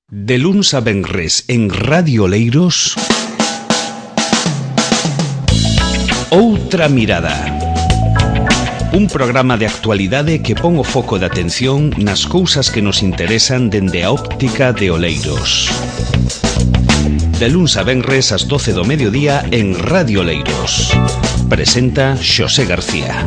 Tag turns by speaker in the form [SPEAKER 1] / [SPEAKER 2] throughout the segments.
[SPEAKER 1] De luns a venres en Radio Oleiros, Outra Mirada. Un programa de actualidade que pon o foco de atención nas cousas que nos interesan dende a óptica de Oleiros. De luns a venres ás 12 do mediodía en Radio Oleiros. Presenta Xosé García.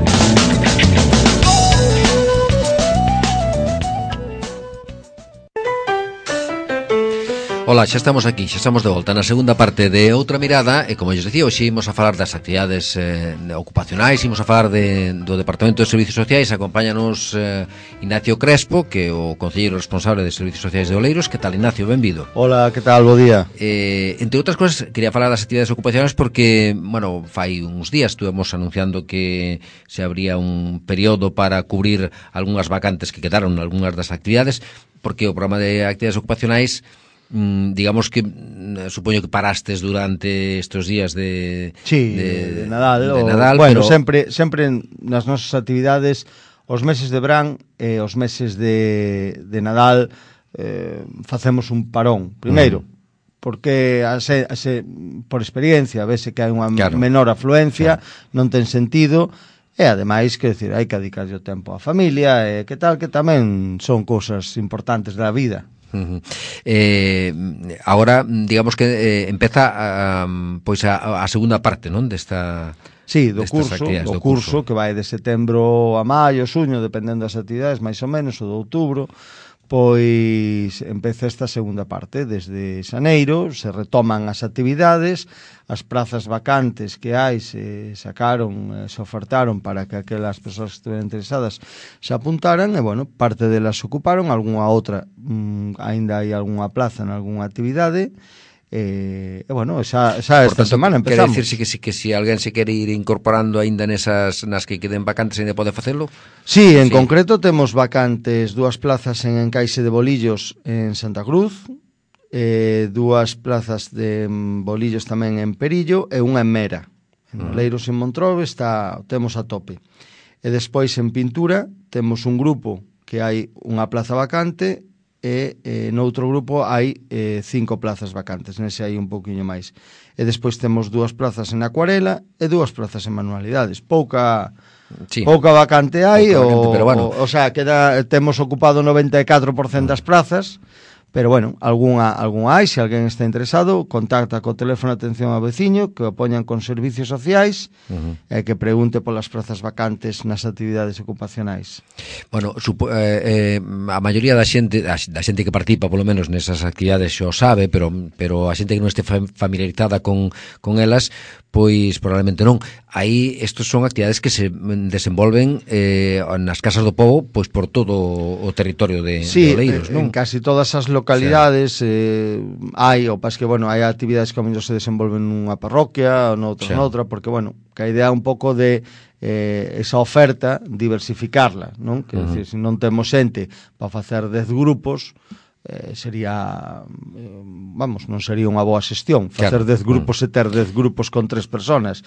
[SPEAKER 2] Ola, xa estamos aquí, xa estamos de volta na segunda parte de Outra Mirada. E como eu decía, hoxe imos a falar das actividades ocupacionais, imos a falar do Departamento de Servicios Sociais. Acompáñanos Ignacio Crespo, que é o concelleiro responsable de Servicios Sociais de Oleiros. Que tal, Ignacio? Benvido.
[SPEAKER 3] Hola, que tal? Bo día.
[SPEAKER 2] Entre outras cousas, quería falar das actividades ocupacionais porque, bueno, fai uns días estuvemos anunciando que se abría un período para cubrir algunhas vacantes que quedaron en algunhas das actividades, porque o programa de actividades ocupacionais, digamos que supoño que parastes durante estes días de
[SPEAKER 3] Nadal, bueno, pero sempre nas nosas actividades, os meses de verán e os meses de Nadal facemos un parón. Primeiro, porque por experiencia vese que hai unha menor afluencia, non ten sentido. E ademais, que decir, hai que dedicarlle o tempo á familia, e que tal, que tamén son cousas importantes da vida.
[SPEAKER 2] Agora, digamos que empeza a segunda parte, non? Desta...
[SPEAKER 3] Sí, do curso que vai de setembro a maio, xuño, dependendo das actividades, máis ou menos, ou de outubro. Pois empeza esta segunda parte. Desde xaneiro se retoman as actividades, as prazas vacantes que hai se sacaron, se ofertaron para que aquelas persoas que estuvieran interesadas se apuntaran, e, bueno, parte delas se ocuparon, algunha outra aínda hai algunha plaza en algunha actividade. Bueno, xa esta semana empezamos.
[SPEAKER 2] Quere dicirse que se alguén se quere ir incorporando aínda nas que queden vacantes, aínda pode facelo?
[SPEAKER 3] Sí, en concreto temos vacantes 2 plazas en Encaixe de Bolillos en Santa Cruz, 2 plazas de Bolillos tamén en Perillo e unha en Mera. En Oleiros en Montrobe temos a tope. E despois en Pintura temos un grupo que hai unha plaza vacante, e noutro grupo hai 5 plazas vacantes, nese hai un pouquiño máis. E despois temos 2 plazas en acuarela e 2 plazas en manualidades. Pouca vacante hai, pero bueno, o sea, temos ocupado 94% das plazas. Pero, bueno, algunha hai. Se alguén está interesado, contacta co teléfono de atención ao veciño, que o poñan con servicios sociais, e que pregunte polas prazas vacantes nas actividades ocupacionais.
[SPEAKER 2] Bueno, a maioría da xente que participa, polo menos nesas actividades, xo sabe, pero a xente que non este familiarizada con elas, pois probablemente non. Aí estos son actividades que se desenvolven nas casas do pobo, pois por todo o territorio de Oleiros, non?
[SPEAKER 3] En casi todas as localidades hai, o pas que, bueno, hai actividades que ao mellor se desenvolven nunha parroquia ou noutra, porque, bueno, que a idea un pouco de esa oferta diversificarla, non? Que decir, se non temos xente para facer 10 grupos, sería, non sería unha boa xestión facer 10 grupos e ter 10 grupos con 3 personas.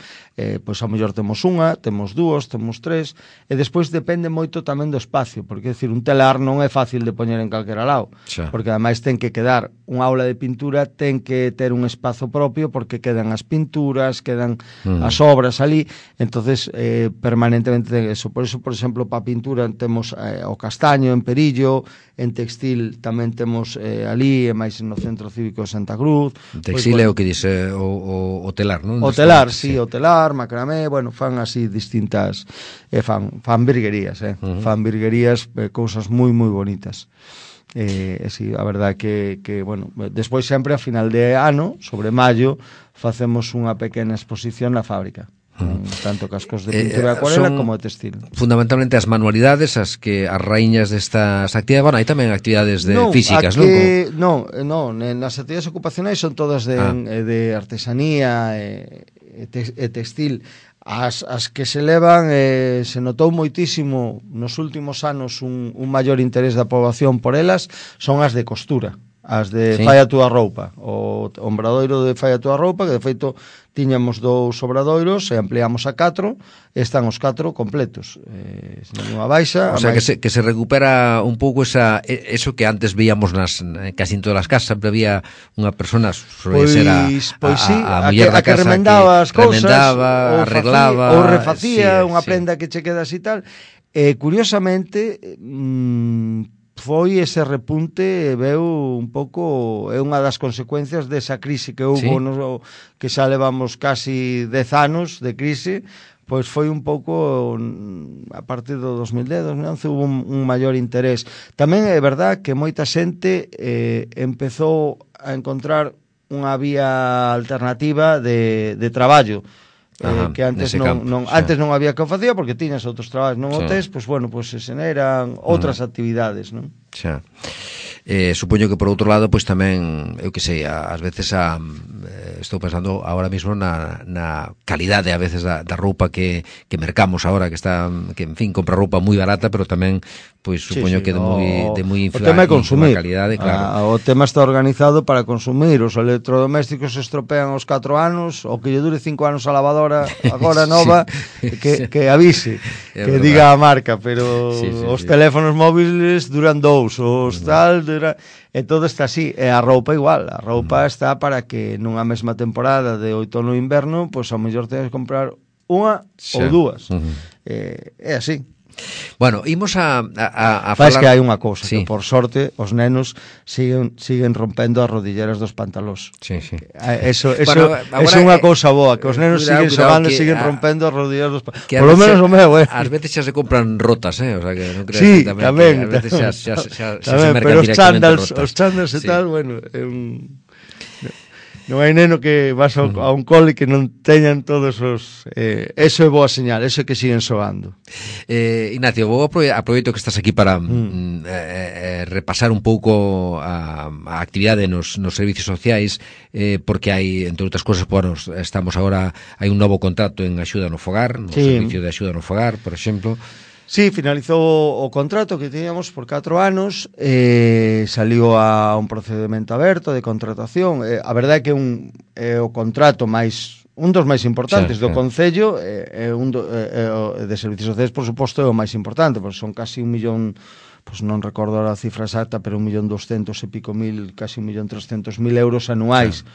[SPEAKER 3] Pois ao mellor temos unha, temos 2, temos 3, e despois depende moito tamén do espacio, porque, decir, un telar non é fácil de poñer en calquera lado, porque ademais ten que quedar unha aula de pintura, ten que ter un espazo propio, porque quedan as pinturas, quedan as obras ali, entonces permanentemente ten eso. Por eso, por exemplo, para a pintura temos o Castaño en Perillo, en textil tamén temos ali, e máis no Centro Cívico de Santa Cruz.
[SPEAKER 2] Textil é o que dice o telar, non?
[SPEAKER 3] O telar, sí, o telar, macramé, bueno, fan así distintas, fan virguerías, fan virguerías, cousas moi moi bonitas. Sí, a verdade que, bueno, despois sempre a final de ano, sobre maio, facemos unha pequena exposición na fábrica. Tanto cascos de pintura de acuarela como de textil.
[SPEAKER 2] Fundamentalmente as manualidades as raíñas destas actividades. Bueno, hai tamén actividades físicas, non?
[SPEAKER 3] Non, nas actividades ocupacionais son todas de artesanía e textil. As que se levan, se notou moitísimo nos últimos anos un maior interés da poboación por elas, son as de costura. as de Fai a túa roupa, o obradoiro de Fai a túa roupa, que de feito tiñamos 2 obradoiros e ampliamos a 4, e están os 4 completos, sen ninguna baixa.
[SPEAKER 2] O sea, que se recupera un pouco eso que antes veíamos casi en todas as casas, sempre había unha persona, ser a muller da casa, que
[SPEAKER 3] remendaba as cousas,
[SPEAKER 2] arreglaba,
[SPEAKER 3] ou refacía unha prenda que che queda así tal. Curiosamente, foi ese repunte, veu un pouco, é unha das consecuencias desa crise que houve, que xa levamos casi 10 anos de crise, pois foi un pouco, a partir do 2010, 2011, hubo un maior interés. Tamén é verdad que moita xente empezou a encontrar unha vía alternativa de traballo, que antes non había que o facía porque tiñas outros traballos non hotéis, pois bueno, pois se eran outras actividades, non?
[SPEAKER 2] Xa. Supoño que por outro lado, pois tamén, eu que sei, ás veces estou pensando ahora mismo na calidade a veces da roupa que mercamos agora, que en fin, compra roupa moi barata, pero tamén pois supoño que de moi
[SPEAKER 3] o tema é consumir,
[SPEAKER 2] calidade, claro.
[SPEAKER 3] O tema está organizado para consumir, os electrodomésticos se estropean aos 4 anos, o que lle dure 5 anos a lavadora agora nova, que avise, que diga a marca, pero os teléfonos móviles duran 2, os tal, e todo está así, e a roupa igual, a roupa está para que nunha mesma temporada de outono e inverno, pois ao mellor tenes que comprar unha ou dúas, é así.
[SPEAKER 2] Bueno, imos a
[SPEAKER 3] falar... que hai unha cousa, que por sorte os nenos siguen rompendo as rodilleras dos pantalós. Eso é unha cousa boa, que os nenos siguen xogando e siguen rompendo as rodilleras dos pantalós. Por lo menos o meu,
[SPEAKER 2] Ás veces xa se compran rotas, o sea que non creas
[SPEAKER 3] que
[SPEAKER 2] tamén. Ás veces xa se mercan directamente rotas.
[SPEAKER 3] Os chándals e tal, bueno, non hai neno que vas a un cole que non teñan todos os... eso é boa señal, eso é que siguen xogando.
[SPEAKER 2] Ignacio, vou aproveito que estás aquí para repasar un pouco a actividade nos servicios sociais, porque hai, entre outras cousas, bueno, estamos agora, hai un novo contrato en axuda no fogar, no servicio de axuda no fogar, por exemplo.
[SPEAKER 3] Sí, finalizou o contrato que teníamos por 4 anos, saliu a un procedimento aberto de contratación. A verdade é que o contrato un dos máis importantes do Concello, de servicios sociais, por suposto, é o máis importante, porque son casi 1 millón, pois non recordo a cifra exacta, pero 1.200.000 e pico mil, casi 1.300.000 euros anuais.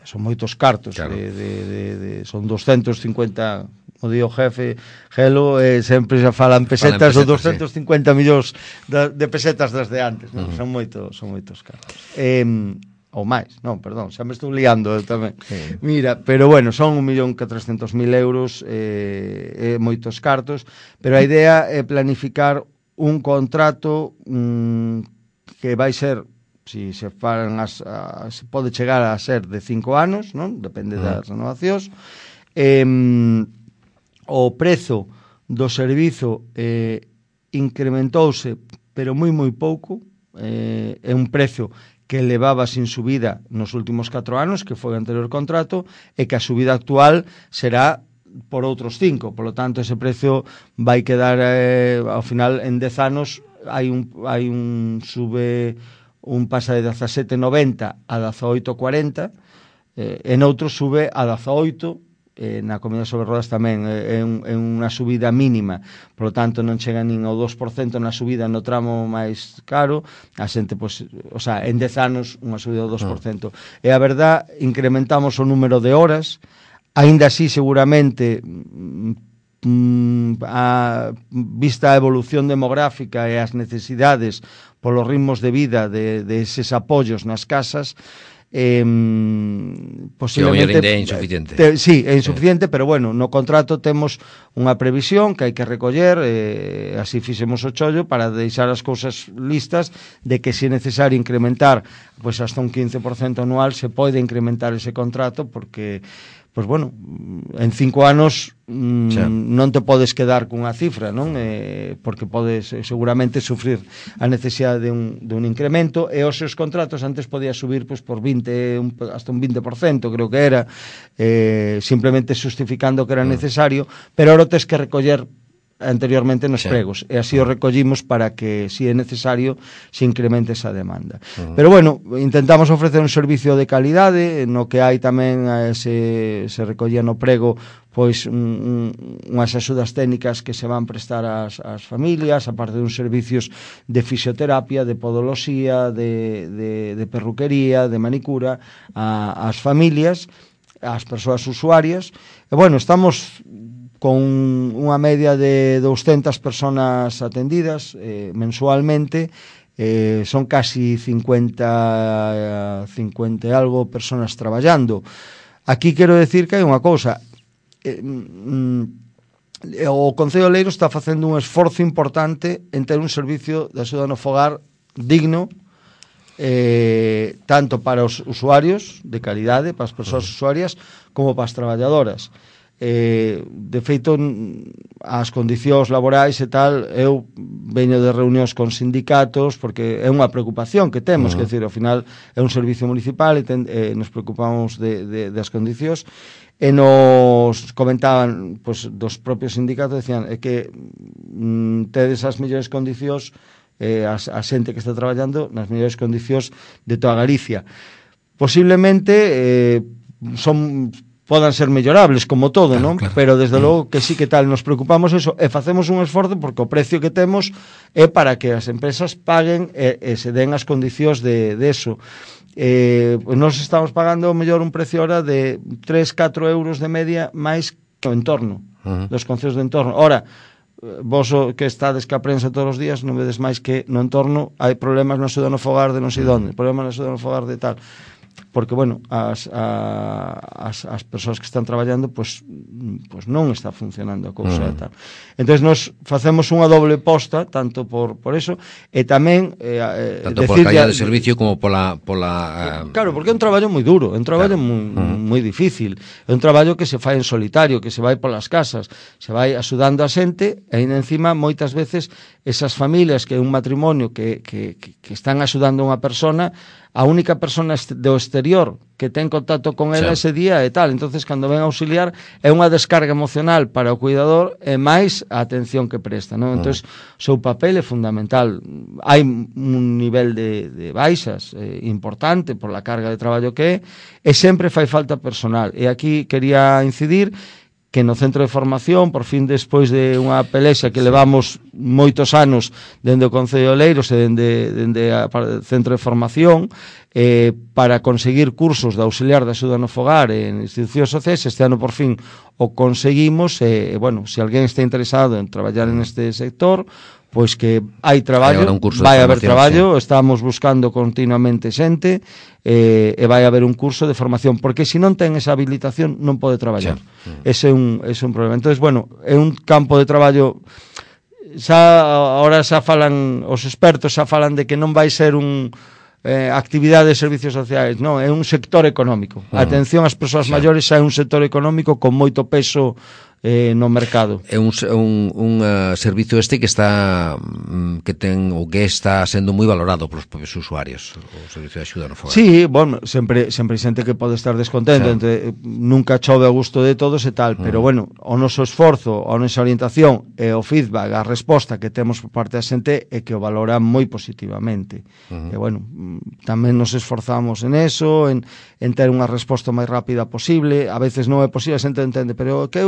[SPEAKER 3] Son moitos cartos, son 250... o dio jefe Gelo, sempre xa falan pesetas, ou 250 millóns de pesetas desde antes, non? Son moitos cartos. Ou máis, non, perdón, xa me estou liando tamén. Mira, pero bueno, son 1.400.000 euros, moitos cartos, pero a idea é planificar un contrato que vai ser, si se falan se pode chegar a ser de 5 anos, non? Depende das renovacións. O prezo do servizo incrementouse, pero moi pouco, é un prezo que levaba sin subida nos últimos 4 anos, que foi o anterior contrato, e que a subida actual será por outros 5, polo tanto ese prezo vai quedar ao final en 10 anos hai un sube, un pasa de 17,90 a 18,40, en outro sube a 18, na Comunidade sobre Rodas tamén é unha subida mínima, por lo tanto non chega nin ao 2% na subida no tramo máis caro, a xente, pois, o sea, en 10 anos unha subida do 2%. E a verdad, incrementamos o número de horas, aínda así seguramente vista a evolución demográfica e as necesidades polos ritmos de vida de eses apoios nas casas,
[SPEAKER 2] posiblemente é insuficiente.
[SPEAKER 3] Sí, é insuficiente, pero bueno, no contrato temos unha previsión que hai que recoller, así fixemos o chollo para deixar as cousas listas de que se é necesario incrementar pois hasta un 15% anual, se pode incrementar ese contrato, porque pois bueno, en 5 anos non te podes quedar cunha cifra, non? Porque podes seguramente sufrir a necesidade de un incremento, e os seus contratos antes podía subir pois por 20, hasta un 20%, creo que era, simplemente justificando que era necesario, pero ahora tes que recoller anteriormente nos pregos, e así o recollimos para que, se é necesario, se incremente esa demanda. Pero bueno, intentamos ofrecer un servicio de calidade, no que hai tamén se recollía no prego pois unhas axudas técnicas que se van prestar ás familias, aparte de uns servicios de fisioterapia, de podoloxía, de perruquería, de manicura ás familias, ás persoas usuarias. E bueno, estamos con unha media de 200 personas atendidas mensualmente, son casi 50 e algo personas traballando. Aquí quero decir que hai unha cousa, o Concello de Oleiros está facendo un esforzo importante en ter un servicio de axuda no fogar digno, tanto para os usuarios de calidade, para as persoas usuarias, como para as traballadoras. De feito, as condicións laborais e tal, eu veño de reunións con sindicatos porque é unha preocupación que temos, que decir, ao final é un servicio municipal e nos preocupamos das condicións, e nos comentaban dos propios sindicatos, decían que tedes as mellores condicións, a xente que está traballando nas mellores condicións de toda Galicia. Posiblemente podan ser mellorables, como todo, non? Claro. Pero desde logo que sí que tal, nos preocupamos eso e facemos un esforzo porque o precio que temos é para que as empresas paguen e se den as condicións de eso. Nos estamos pagando mellor un precio ahora de 3-4 euros de media máis que o entorno, dos concellos de entorno. Ora, vos que estades que a prensa todos os días non vedes máis que no entorno hai problemas na axuda no fogar de non sei onde, problemas na axuda no fogar de tal, porque, bueno, as persoas que están traballando pois non está funcionando a cousa e tal. Entón, nos facemos unha doble posta, tanto por eso, e tamén
[SPEAKER 2] tanto por calidad de servicio como pola
[SPEAKER 3] claro, porque é un traballo moi duro, é un traballo moi difícil, é un traballo que se fai en solitario, que se vai polas casas, se vai axudando a xente, e ainda encima, moitas veces, esas familias que é un matrimonio que están axudando a unha persona, a única persona do exterior que ten contacto con ela ese día e tal, entonces cando ven a auxiliar é unha descarga emocional para o cuidador e máis a atención que presta, non? Entonces o seu papel é fundamental. Hai un nivel de baixas importante por la carga de traballo que é, e sempre fai falta personal, e aquí quería incidir que no centro de formación, por fin despois de unha pelexa que levamos moitos anos dende o Concello de Oleiros e dende o centro de formación, para conseguir cursos de auxiliar de axuda no fogar en institucións sociais, este ano por fin o conseguimos, e, bueno, se alguén está interesado en traballar en este sector, pois que hai traballo, vai haber traballo, estamos buscando continuamente xente, e vai haber un curso de formación, porque se non ten esa habilitación non pode traballar. Ese é un problema. Entonces, bueno, é un campo de traballo, ahora xa falan, os expertos xa falan de que non vai ser actividade de servicios sociais, non, é un sector económico. Atención ás persoas maiores, xa é un sector económico con moito peso no mercado.
[SPEAKER 2] É un servicio que está sendo moi valorado polos propios usuarios, o servicio de axuda no fogar.
[SPEAKER 3] Sí, bueno, sempre hai xente que pode estar descontento, nunca chove a gusto de todos e tal, pero bueno, o noso esforzo, a nosa orientación e o feedback, a resposta que temos por parte da xente é que o valora moi positivamente. E bueno, tamén nos esforzamos en eso, en ter unha resposta máis rápida posible. A veces non é posible, a xente entende, pero que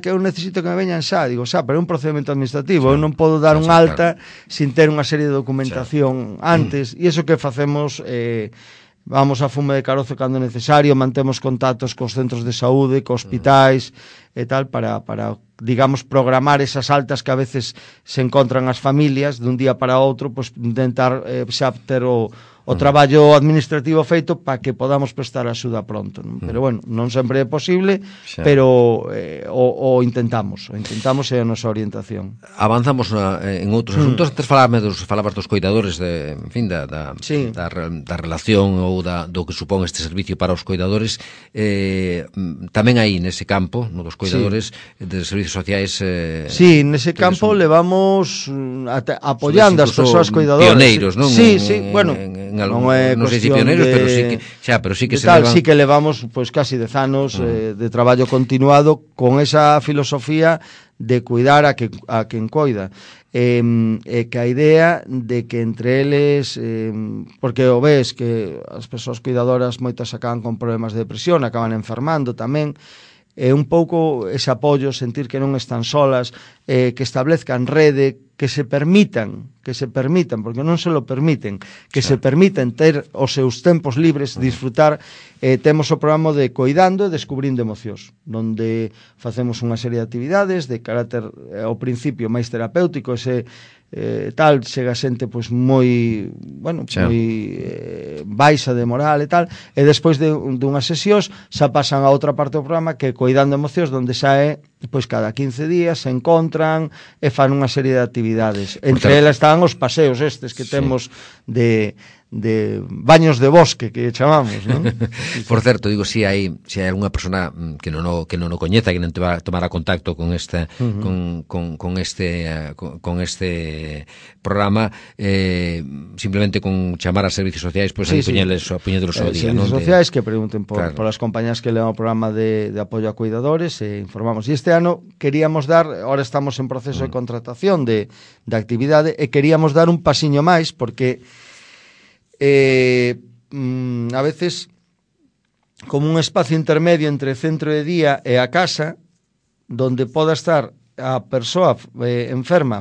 [SPEAKER 3] eu necesito que me veñan xa, digo, pero é un procedimento administrativo, eu non podo dar un alta sin ter unha serie de documentación antes, e iso que facemos, vamos a fume de carozo cando é necesario, mantemos contactos cos centros de saúde, cos hospitais e tal, para digamos, programar esas altas que a veces se encontran as familias dun día para outro, pois intentar xa ter o traballo administrativo feito para que podamos prestar axuda pronto, non? Pero bueno, non sempre é posible, pero o intentamos é a nosa orientación.
[SPEAKER 2] Avanzamos en outros asuntos. Antes falabas dos coidadores, en fin, da relación ou do que supón este servicio para os coidadores. Tamén aí nese campo, no dos coidadores, de servicios sociais.
[SPEAKER 3] Sí, nese campo levamos apoiando as persoas coidadoras.
[SPEAKER 2] Pioneiros, non?
[SPEAKER 3] Sí, bueno,
[SPEAKER 2] non sei se pioneiros, pero sí que se levan.
[SPEAKER 3] Sí que levamos pois casi 10 anos de traballo continuado con esa filosofía de cuidar a quen coida. E que a idea de que entre eles, porque o ves que as persoas cuidadoras moitas acaban con problemas de depresión, acaban enfermando tamén, un pouco ese apoio, sentir que non están solas, que establezcan rede, que se permitan, porque non se lo permiten, que se permiten ter os seus tempos libres, disfrutar. Temos o programa de Coidando e Descubrindo Emocións, onde facemos unha serie de actividades de carácter, ao principio, máis terapéutico, ese tal, chega xente pois moi, bueno, moi baixa de moral e tal, e despois de unhas sesións xa pasan a outra parte do programa que é Coidando Emocións, onde xa é pois cada 15 días se encontran e fan unha serie de actividades. Entre elas están os paseos estes que temos de baños de bosque, que chamamos, non?
[SPEAKER 2] Por certo, digo, si hai algunha persona que non o coñeza, que non te va a tomar a contacto con este con este programa, simplemente con chamar a servicios sociais, pois aí poñedelos ao día, non?
[SPEAKER 3] Servicios sociais que pregunten por as compañías que levan o programa de apoio a cuidadores, e informamos. E este ano queríamos dar, ahora estamos en proceso de contratación de actividade, e queríamos dar un pasiño máis, porque a veces como un espacio intermedio entre centro de día e a casa, donde poda estar a persoa enferma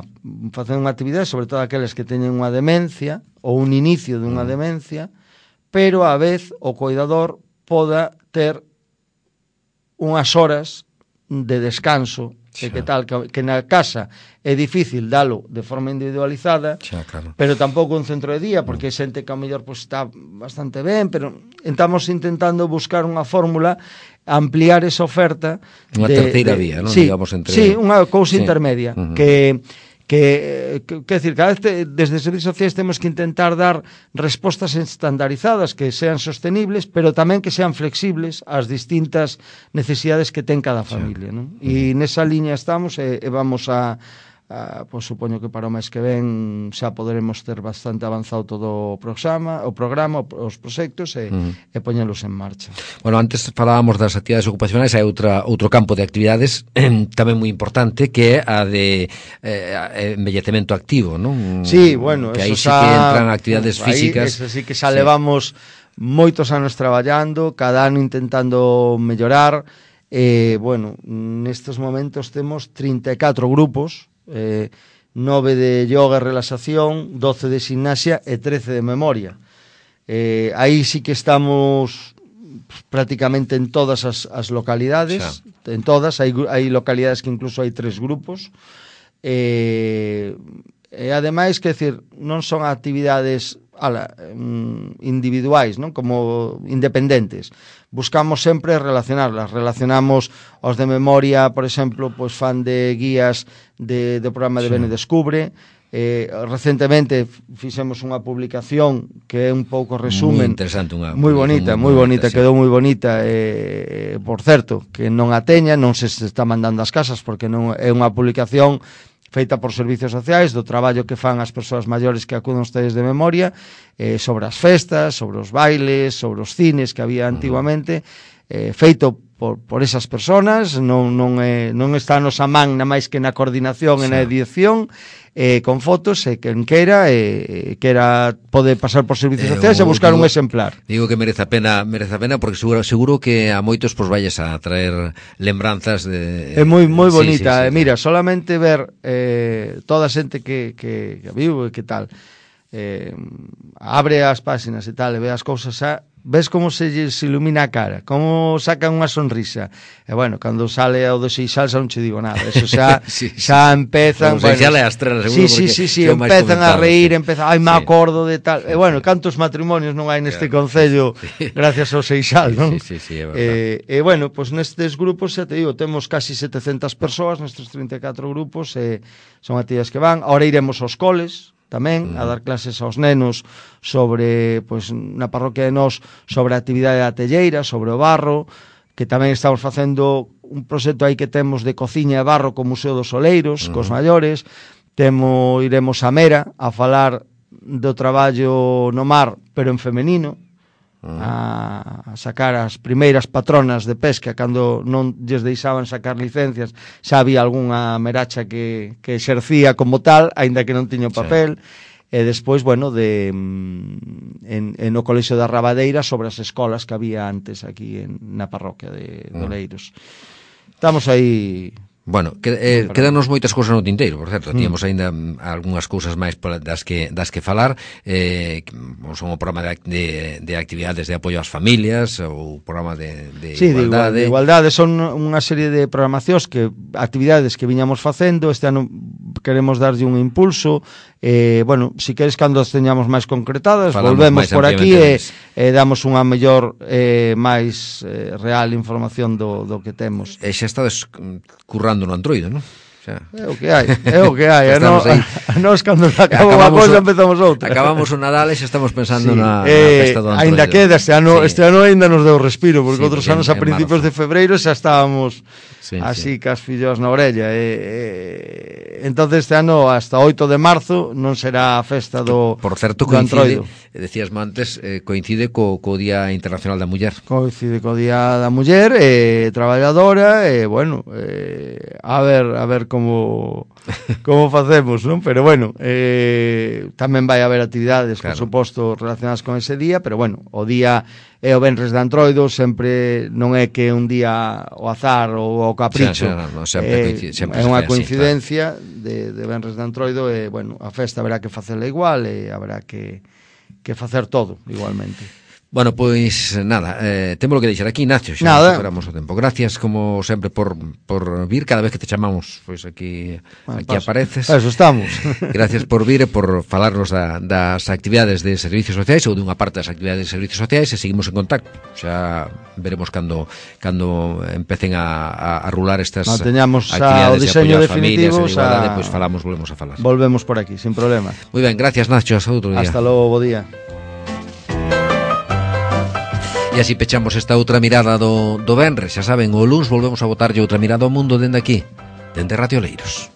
[SPEAKER 3] facendo unha actividade, sobre todo aqueles que teñen unha demencia ou un inicio dunha demencia, pero a vez o coidador poda ter unhas horas de descanso, que tal, que na casa é difícil dalo de forma individualizada,
[SPEAKER 2] claro.
[SPEAKER 3] Pero tampouco un centro de día, porque é xente que ao mellor pues, está bastante ben, pero estamos intentando buscar unha fórmula, ampliar esa oferta.
[SPEAKER 2] Unha terceira vía, non?
[SPEAKER 3] Sí,
[SPEAKER 2] digamos, entre...
[SPEAKER 3] sí, unha cousa intermedia, que decir, cada vez desde Servicios Sociais temos que intentar dar respostas estandarizadas que sean sostenibles, pero tamén que sean flexibles ás distintas necesidades que ten cada familia, non? E nesa liña estamos e vamos a pois supoño que para o mes que ven xa poderemos ter bastante avanzado todo o programa, os proxectos e poñelos en marcha.
[SPEAKER 2] Bueno, antes falábamos das actividades ocupacionais, hai outro campo de actividades tamén moi importante, que é a de envellecemento activo, non?
[SPEAKER 3] Sí, bueno,
[SPEAKER 2] que aí sí que entran actividades físicas.
[SPEAKER 3] Eso sí que xa levamos moitos anos traballando, cada ano intentando mellorar. Bueno, nestes momentos temos 34 grupos, 9 de yoga e relaxación, 12 de gimnasia e 13 de memoria. Aí sí que estamos prácticamente en todas as localidades, en todas, hai localidades que incluso hai 3 grupos, e ademais, que decir, non son actividades individuais, non? Como independentes. Buscamos sempre relacionamos os de memoria, por exemplo, pois fan de guías do programa de Bene Descubre. Recentemente fixemos unha publicación que é un pouco resumen,
[SPEAKER 2] moi interesante,
[SPEAKER 3] moi bonita, quedou moi bonita, por certo, que non a teña, non se está mandando ás casas, porque non é unha publicación feita por Servicios Sociais, do traballo que fan as persoas maiores que acuden aos talleres de memoria, sobre as festas, sobre os bailes, sobre os cines que había antiguamente, feito por esas personas, non está a nosa man na máis que na coordinación e na edición, con fotos, e quen queira pode pasar por Servicios Sociais e buscar un exemplar.
[SPEAKER 2] Digo que merece a pena porque seguro que a moitos pues valles a traer lembranzas de...
[SPEAKER 3] É moi bonita, sí, mira, solamente ver toda a xente que vivo e que tal, abre as páxinas e tal, e ve as cousas xa, ves como se ilumina a cara, como sacan unha sonrisa. E bueno, cando sale o do Seixal xa non che digo nada, eso xa xa empezan,
[SPEAKER 2] o Seixal é a estrela, seguro,
[SPEAKER 3] sí, empezan a reír, me acordo de tal. E bueno, cantos matrimonios non hai neste concello gracias ao Seixal, non?
[SPEAKER 2] Sí, é verdade.
[SPEAKER 3] E bueno, pois nestes grupos, xa te digo, temos casi 700 persoas nestes 34 grupos, son actividades que van. Ahora iremos aos coles tamén a dar clases aos nenos sobre, pois, na parroquia de Nós, sobre a actividade da telleira, sobre o barro, que tamén estamos facendo un proxecto aí que temos de cociña e barro co Museo dos Oleiros, cos maiores. Iremos a Mera a falar do traballo no mar, pero en femenino, a sacar as primeiras patronas de pesca cando non lles deixaban sacar licencias. Xa había algunha meracha que exercía como tal, aínda que non tiña papel. E despois, bueno, no Colexio da Rabadeira sobre as escolas que había antes aquí na parroquia de Oleiros. Estamos aí...
[SPEAKER 2] Bueno, quedanos moitas cousas no tinteiro, por certo, tíamos aínda algunhas cousas máis das que falar, son o programa de actividades de apoio ás familias, ou o programa de igualdade.
[SPEAKER 3] De igualdade, son unha serie de programacións, actividades que viñamos facendo. Este ano queremos darlle un impulso, bueno, si queres cando as teñamos máis concretadas, volvemos por aquí e damos unha mellor, máis real información do que temos.
[SPEAKER 2] E xa estades currando no Android, non?
[SPEAKER 3] É o que hai. Nós cando acabamos a cousa empezamos outra.
[SPEAKER 2] Acabamos o Nadal e xa estamos pensando na festa do Android.
[SPEAKER 3] Ainda queda, este ano ainda nos deu respiro, porque outros anos a principios de febreiro xa estábamos así cas fillos na orella. Entonces este ano hasta 8 de marzo non será a festa do Android.
[SPEAKER 2] Por certo, coincide, decías antes, coincide co Día Internacional da Muller.
[SPEAKER 3] Coincide co Día da Muller, traballadora, bueno, a ver como facemos, non? Pero bueno, tamén vai haber actividades, por suposto, relacionadas con ese día, pero bueno, o día é o Venres de Antroido, sempre non é que un día o azar ou o capricho,
[SPEAKER 2] sempre
[SPEAKER 3] é unha coincidencia de Venres de Antroido, e bueno, a festa haberá que facela igual e haberá que facer todo igualmente.
[SPEAKER 2] Bueno, pois nada, temos que deixar aquí, Nacho, xa superamos o tempo. Gracias, como sempre, por vir. Cada vez que te chamamos, pois aquí apareces.
[SPEAKER 3] Eso estamos.
[SPEAKER 2] Gracias por vir e por falarnos das actividades de servicios sociais, ou dunha parte das actividades de servicios sociais, e seguimos en contacto. Xa veremos cando empecen a rular estas
[SPEAKER 3] teñamos
[SPEAKER 2] actividades
[SPEAKER 3] o diseño
[SPEAKER 2] de
[SPEAKER 3] definitivo,
[SPEAKER 2] familias, igualdade, pois volvemos a falar.
[SPEAKER 3] Volvemos por aquí, sin problema.
[SPEAKER 2] Moi ben, gracias, Nacho, hasta outro día.
[SPEAKER 3] Hasta logo, bo día.
[SPEAKER 2] E así pechamos esta outra mirada do Venres. Xa saben, o luns volvemos a botarlle outra mirada ao mundo dende aquí, dende Radio Oleiros.